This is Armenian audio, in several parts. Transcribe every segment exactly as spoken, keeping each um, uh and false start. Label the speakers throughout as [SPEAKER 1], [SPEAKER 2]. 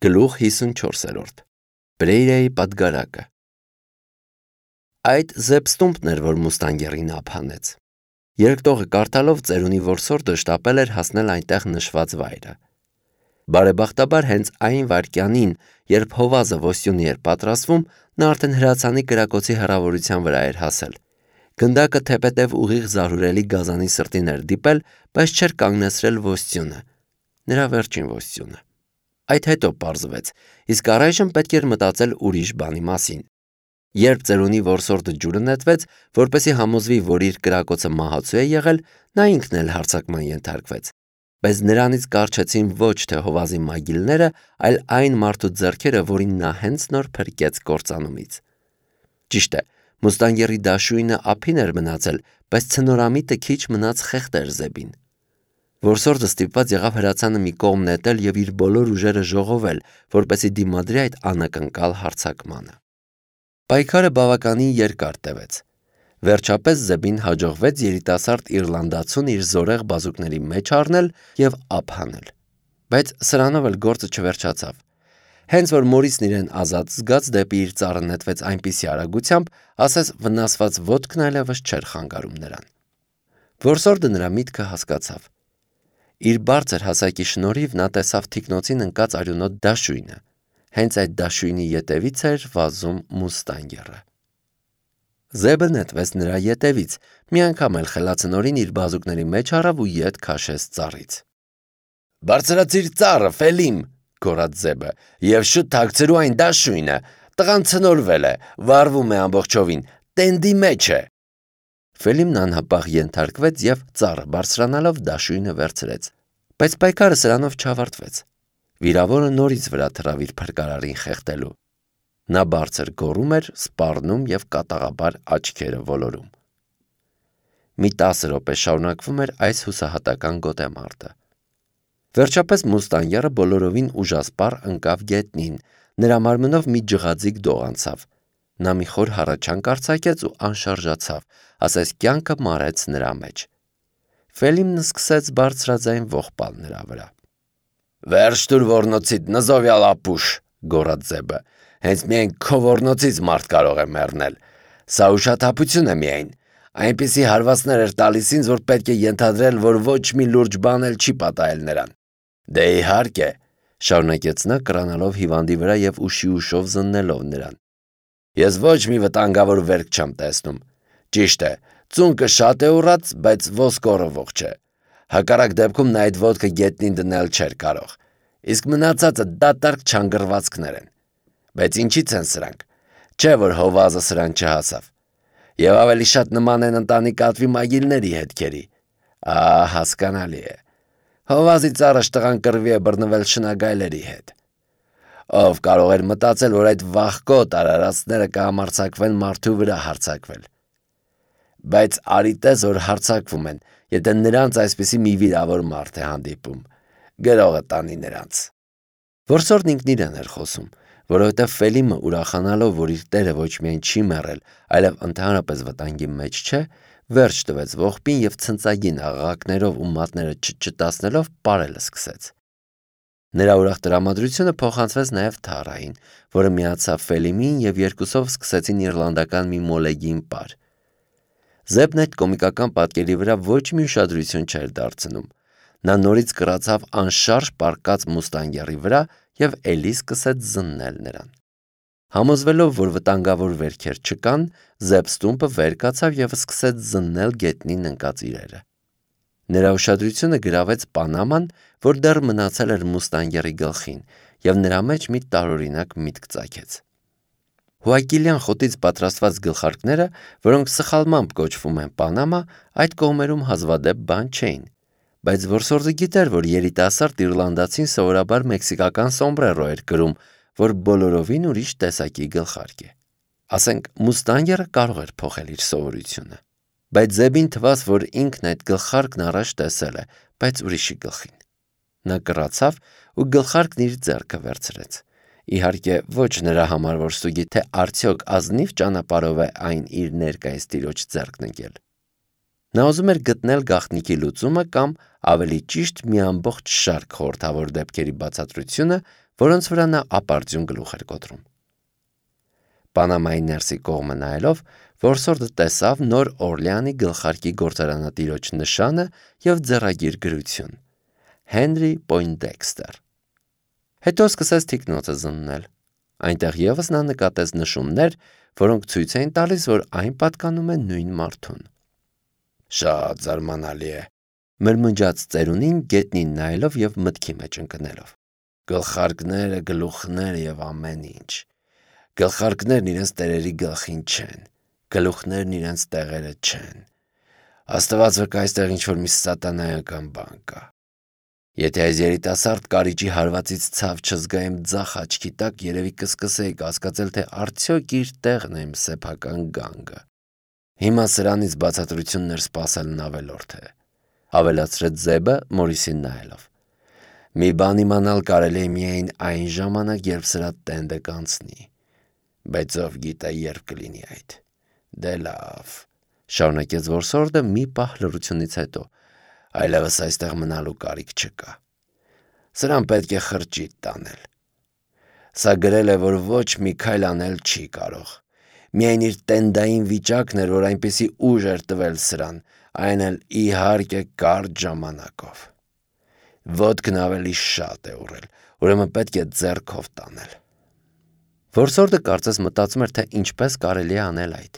[SPEAKER 1] Գլուխ հիսունչորսերորդ Բրեյրայի պատգարակը Այդ Զեբստումպն էր, որ Մուստանգերին ափ հանեց։ Երկտողը կարդալով ծերունի որսորդը շտապել էր հասնել այնտեղ նշված վայրը։ Բարեբախտաբար հենց այն վայրկյանին, երբ Հովազը ոստյունի էր պատրաստվում, նա արդեն հրացանի կրակոցի հեռավորության վրա էր հասել։ Գնդակը թեպետև ուղիղ զարհուրելի գազանի սրտին էր դիպել, բայց չէր կանգնեցրել ոստյունը, նրա վերջին ոստյունը։ Այդ հետո պարզվեց, իսկ առայժմ պետք էր մտածել ուրիշ բանի մասին։ Երբ ծերունի որսորդը ջուրը նետվեց, որպեսզի համոզվի, որ իր կրակոցը մահացու է եղել, նա ինքն էլ հարձակման ենթարկվեց, բայց նրանից կառչեցին ոչ թե Հովազի մագիլները, այլ այն մարդու ձեռքերը, որին նա հենց նոր փրկեց կործանումից։ Ճիշտ է, Մուստանգերի դաշույնը ափին էր մնացել, բայց ցնորամիտը քիչ մնաց խեղդեր Զեբին։ Որսորդը ստիպված եղավ հրացանը մի կողմ նետել և իր բոլոր ուժերը ժողովել, որպեսզի դիմադրի այդ անակնկալ հարձակմանը։ Պայքարը բավականին երկար տևեց։ Վերջապես Զեբին հաջողվեց երիտասարդ իռլանդացուն իր զորեղ բազուկների մեջ առնել և ափ հանել։ Բայց սրանով էլ գործը չվերջացավ։ Հենց որ Մորիսն իրեն ազատ զգաց, դեպի իր ծառը նետվեց այնպիսի արագությամբ, ասես վնասված ոտքն այլևս չէր խանգարում նրան։ Որսորդը նրա միտքը հասկացավ։ Իր բարձր հասակի շնորհիվ նա տեսավ թիկնոցին ընկած արյունոտ դաշույնը։ Հենց այդ դաշույնի ետևից էր վազում Մուստանգերը։ Զեբը նետվեց նրա ետևից, մի անգամ էլ խելացնորին իր բազուկների մեջ առավ ու ետ քաշեց ծառից։ «Բարձրացիր ծառը, Ֆելիմ», գոռաց Զեբը, «և շուտ թաքցրու այն դաշույնը, տղան ցնորվել է, վառվում է ամբողջովին, տենդի մեջ է»։ Ֆելիմն անհապաղ ենթարկվեց և ծառը բարձրանալով դաշույնը վերցրեց։ Բայց պայքարը սրանով չավարտվեց։ Վիրավորը նորից վրա թռավ իր փրկարարին խեղդելու։ Նա բարձր գոռում էր, սպառնում և կատաղաբար աչքերը ոլորում։ Մի տասը րոպե շարունակվում էր այս հուսահատական գոտեմարտը։ Վերջապես Մուստանգերը բոլորովին ուժասպառ ընկավ գետնին, նրա մարմնով մի ջղաձիգ դող անցավ։ Նա մի խոր հառաչանք արձակեց ու անշարժացավ, ասես կյանքը մարեց նրա մեջ։ Ֆելիմն սկսեց բարձրաձայն ողբալ նրա վրա։ «Վերջ տուր ոռնոցիդ, նզովյալ ապուշ», գոռաց Զեբը, «հենց միայն քո ոռնոցից մարդ կարող է մեռնել։ Սա ուշաթափություն է միայն, այնպիսի հարվածներ էր տալիս ինձ, որ պետք է ենթադրել, որ ոչ մի լուրջ բան էլ չի պատահել նրան»։ «Դե իհարկե», շարունակեց նա, կռանալով հիվանդի վրա և ուշի ուշով զննելով նրան, «ես ոչ մի վտանգավոր վերք չեմ տեսնում։ Ճիշտ է, ծունկը շատ է ուռած, բայց ոսկորը ողջ է։ Հակառակ դեպքում նա այդ ոտքը գետնին դնել չէր կարող, իսկ մնացածը դատարկ չանգռվածքներ են։ Բայց ինչի՞ց են սրանք, չէ՞ որ Հովազը սրան չհասավ։ Եվ ավելի շատ նման են ընտանի կատվի մագիլների հետքերի։ Ահա, հասկանալի է։ Հովազի ծառը տղան կռվի է բռնվել շնագայլերի հետ։ Ով կարող էր մտածել, որ այդ վախկոտ արարածները կհամարձակվեն մարդու վրա հարձակվել։ Բայց արի տես, որ հարձակվում են, եթե նրանց այսպիսի մի վիրավոր մարդ է հանդիպում։ Գրողը տանի նրանց»։ Որսորդն ինքն իրեն էր խոսում, որովհետև Ֆելիմը ուրախանալով, որ իր տերը ոչ միայն չի մեռել, այլև ընդհանրապես վտանգի մեջ չէ, վերջ տվեց ողբին և ցնծագին աղաղակներով ու մատները չճտացնելով պարել սկսեց։ Նրա ուրախ տրամադրությունը փոխանցվեց նաև Թարային, որը միացավ Ֆելիմին և երկուսով սկսեցին իռլանդական մի մոլեգին պար։ Զեբն այդ կոմիկական պատկերի վրա ոչ մի ուշադրություն չէր դարձնում։ Նա նորից կռացավ անշարժ պառկած Մուստանգերի վրա և էլի սկսեց զննել նրան։ Համոզվելով, որ վտանգավոր վերքեր չկան, Զեբստումպը վեր կացավ և սկսեց զննել գետնին ընկած իրերը։ Նրա ուշադրությունը գրավեց Պանաման, որ դեռ մնացել էր Մուստանգերի գլխին, և նրա մեջ մի տարօրինակ միտք ծագեց։ Հուակիլյան խոտից պատրաստված գլխարկները, որոնք սխալմամբ կոչվում են Պանամա, այդ կողմերում հազվադեպ բան չէին, բայց որսորդը գիտեր, որ երիտասարդ իռլանդացին սովորաբար մեքսիկական սոմբրերո էր կրում, որ բոլորովին ուրիշ տեսակի գլխարկ է։ Ասենք Մուստանգերը կարող էր փոխել իր սովորությունը։ Բայց Զեբին թվաց, որ ինքն այդ գլխարկն առաջ տեսել է, բայց ուրիշի գլխին։ Նա կռացավ ու գլխարկն իր ձեռքը վերցրեց։ Իհարկե ոչ նրա համար, որ ստուգի, թե արդյոք ազնիվ ճանապարհով է այն իր ներկայիս տիրոջ ձեռքն ընկել։ Նա ուզում էր գտնել գաղտնիքի լուծումը կամ ավելի ճիշտ մի ամբողջ շարք խորհրդավոր դեպքերի բացատրությունը, որոնց վրա նա ապարդյուն գլուխ էր կոտրում։ Պանամայի ներսի կողմը նայելով, որսորդը տեսավ Նոր Օրլեանի գլխարկի գործարանատիրոջ նշանը և ձեռագիր գրություն. Հենրի Պոյնդեքստեր։ Հետո սկսեց թիկնոցը զննել։ Այնտեղ ևս նա նկատեց նշումներ, որոնք ցույց էին տալիս, որ այն պատկանում է նույն մարդուն։ Շատ զարմանալի է, մրմնջաց ծերունին գետնին նայելով և մտքի մեջ ընկնելով։ Գլխարկները, գլուխները և ամեն ինչ։ Գլխարկներն իրենց տերերի գլխին չեն, գլուխներն իրենց տեղերը չեն։ Աստված վկա, այստեղ ինչ-որ մի սատանայական բան կա։ Եթե այս երիտասարդ կարիճի հարվածից ցավ չզգա իմ ձախ աչքի տակ, երևի կսկսեի կասկածել, թե արդյոք իր տեղն է իմ սեփական գանգը։ Հիմա սրանից բացատրություններ սպասելն ավելորդ է, ավելացրեց Զեբը Մորիսին նայելով։ Մի բան իմանալ կարելի է միայն այն ժամանակ, երբ սրա տենդը կանցնի։ Բայց ով գիտե երբ կլինի այդ։ Դե լավ, շարունակեց որսորդը մի պահ լռությունից հետո։ Այլևս այստեղ մնալու կարիք չկա։ Սրան պետք է խրճիթ տանել։ Սա գրել է, որ ոչ մի քայլ անել չի կարող։ Միայն իր տենդային վիճակն էր, որ այնպիսի ուժ էր տվել սրան, այն էլ իհարկե կարճ ժամանակով։ Ոտքն ավելի շատ է ուռել, ուրեմն պետք է ձեռքով տանել։ Որսորդը կարծես մտածում էր, թե ինչպես կարելի է անել այդ։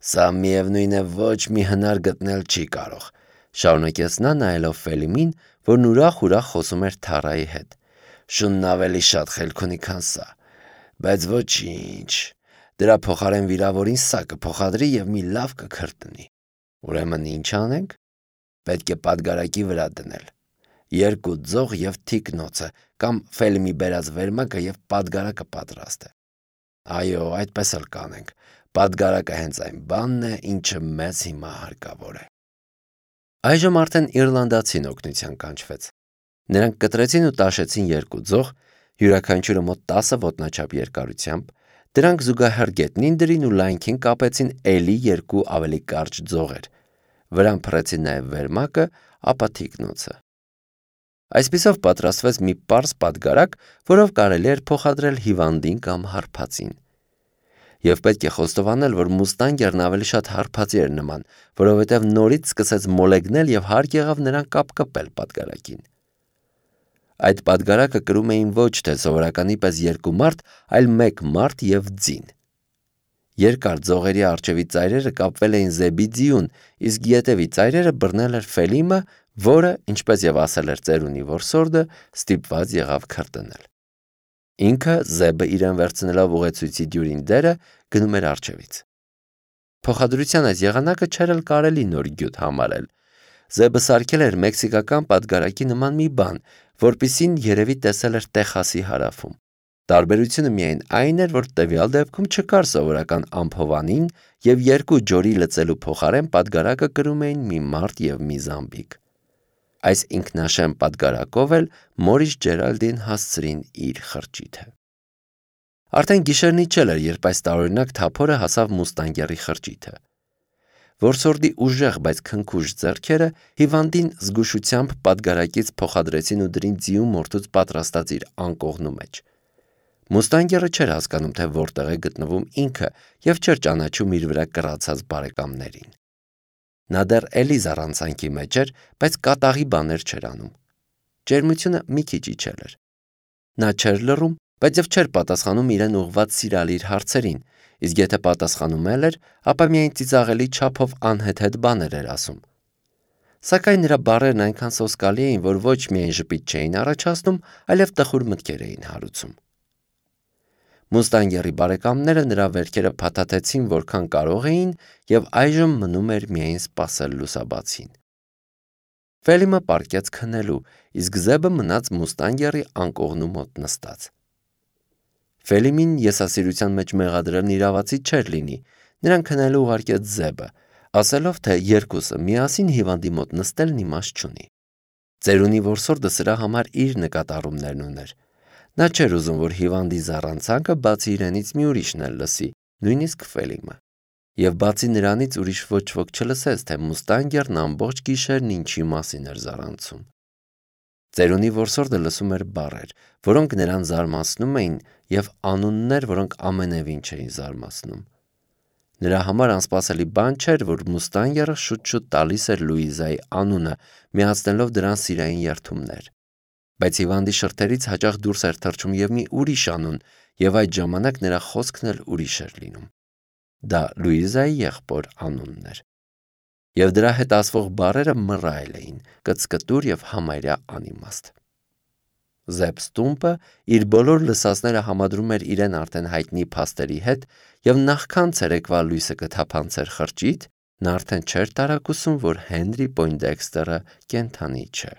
[SPEAKER 1] Սա միևնույն է ոչ մի հնար գտնել չի կարող, շարունակեց նա նայելով Ֆելիմին, որն ուրախ-ուրախ խոսում էր Թարայի հետ։ Շունն ավելի շատ խելք ունի, քան սա, բայց ոչինչ, դրա փոխարեն վիրավորին սա կփոխադրի և մի լավ կքրտնի։ Ուրեմն ինչ անենք։ Պետք է պատգարակի վրա դնել։ Երկու ձող և թիկնոցը, կամ Ֆելիմի բերած վերմակը և պատգարակը պատրաստ է։ Այո, այդպես էլ կանենք։ Պատգարակը հենց այն բանն է, ինչը մեզ հիմա հարկավոր է։ Այժմ արդեն իռլանդացին օգնության կանչվեց։ Նրանք կտրեցին ու տաշեցին երկու ձող, յուրաքանչյուրը մոտ տասը ոտնաչափ երկարությամբ, դրանք զուգահեռ գետնին դրին ու լայնքին կապեցին էլի երկու ավելի կարճ ձողեր, վրան փռեցին նաև վերմակը, ապա թիկնոցը։ Այսպիսով պատրաստվեց մի պարզ պատգարակ, որով կարելի էր փոխադրել հիվանդին կամ հարբածին։ Եվ պետք է խոստովանել, որ Մուստանգերն ավելի շատ հարբածի էր նման, որովհետև նորից սկսեց մոլեգնել և հարկ եղավ նրան կապկպել պատգարակին։ Այդ պատգարակը կրում էին ոչ թե սովորականի պես երկու մարդ, այլ մեկ մարդ և ձին։ Երկար ձողերի առջևի ծայրերը կապվել էին Զեբի ձիուն, իսկ ետևի ծայրերը բռնել էր Ֆելիմը, որը, ինչպես և ասել էր ծերունի որսորդը, ստիպված եղավ քրտնել։ Ինքը Զեբը իրեն վերցնելով ուղեցույցի դյուրին դերը գնում էր առջևից։ Փոխադրության այս եղանակը չէր էլ կարելի նոր գյուտ համարել։ Զեբը սարքել էր մեքսիկական պատգարակի նման մի բան, որպիսին երևի տեսել էր Տեխասի հարավում։ Տարբերությունը միայն այն էր, որ տվյալ դեպքում չկար սովորական ամփովանին և երկու ջորի լծելու փոխարեն պատգարակը կրում էին մի մարդ և մի զամբիկ։ Այս ինքնաշեն պատգարակով էլ Մորիս Ջերալդին հասցրին իր խրճիթը։ Արդեն գիշերն իջել էր, երբ այս տարօրինակ թափորը հասավ Մուստանգերի խրճիթը։ Որսորդի ուժեղ, բայց քնքուշ ձեռքերը հիվանդին զգուշությամբ պատգարակից փոխադրեցին ու դրին ձիու մորթուց պատրաստած իր անկողնու մեջ։ Մուստանգերը չէր հասկանում, թե որտեղ է գտնվում ինքը և չէր ճանաչում իր վրա կռացած բարեկամներին։ Նա դեռ էլի զառանցանքի մեջ էր, բայց կատաղի բաներ չէր անում։ Ջերմությունը մի քիչ իջել էր։ Նա չէր լռում, բայց և չէր պատասխանում իրեն ուղղված սիրալիր հարցերին, իսկ եթե պատասխանում էլ էր, ապա միայն ծիծաղելի չափով անհեթեթ բաներ էր ասում։ Սակայն նրա բառերն այնքան սոսկալի էին, որ ոչ միայն ժպիտ չէին առաջացնում, այլև տխուր մտքեր էին հարուցում։ Մուստանգերի բարեկամները նրա վերքերը փաթաթեցին որքան կարող էին և այժմ մնում էր միայն սպասել լուսաբացին։ Ֆելիմը պառկեց քնելու, իսկ Զեբը մնաց Մուստանգերի անկողնու մոտ նստած։ Ֆելիմին եսասիրության մեջ մեղադրելն իրավացի չէր լինի, նրան քնելու ուղարկեց Զեբը, ասելով, թե երկուսը միասին հիվանդի մոտ նստելն իմաստ չունի։ Ծերունի որսորդը սրա համար իր նկատառումներն ուներ։ Նա չէր ուզում, որ հիվանդի զառանցանքը բացի իրենից մի ուրիշն էլ լսի, նույնիսկ Ֆելիմը։ Եվ բացի նրանից ուրիշ ոչ ոք չլսեց, թե Մուստանգերն ամբողջ գիշերն ինչի մասին էր զարանցում։ Ծերունի որսորդը լսում էր բառեր, որոնք նրան զարմացնում էին, եւ անուններ, որոնք ամենևին չէին զարմացնում։ Նրա համար անսպասելի բան չէր, որ Մուստանգերը շուտ-շուտ տալիս էր Լուիզայի անունը, միացնելով դրան սիրային երդումներ։ Բայց հիվանդի շրթերից հաճախ դուրս էր թռչում եւ մի ուրիշ անուն, եւ այդ ժամանակ նրա խոսքն էլ ուրիշ էր լինում։ Դա Լուիզայի եղբոր անունն էր։ Եվ դրա հետ ասվող բառերը մռայլ էին, կծկտուր եւ համարյա անիմաստ։ Զեպստումպը իր բոլոր լսածները համադրում էր իրեն արդեն հայտնի փաստերի հետ, եւ նախքան ցերեկվա լույսը կթափանցեր խրճիթ, նա արդեն չէր տարակուսում, որ Հենրի Պոյնդեքստերը կենդանի չէ։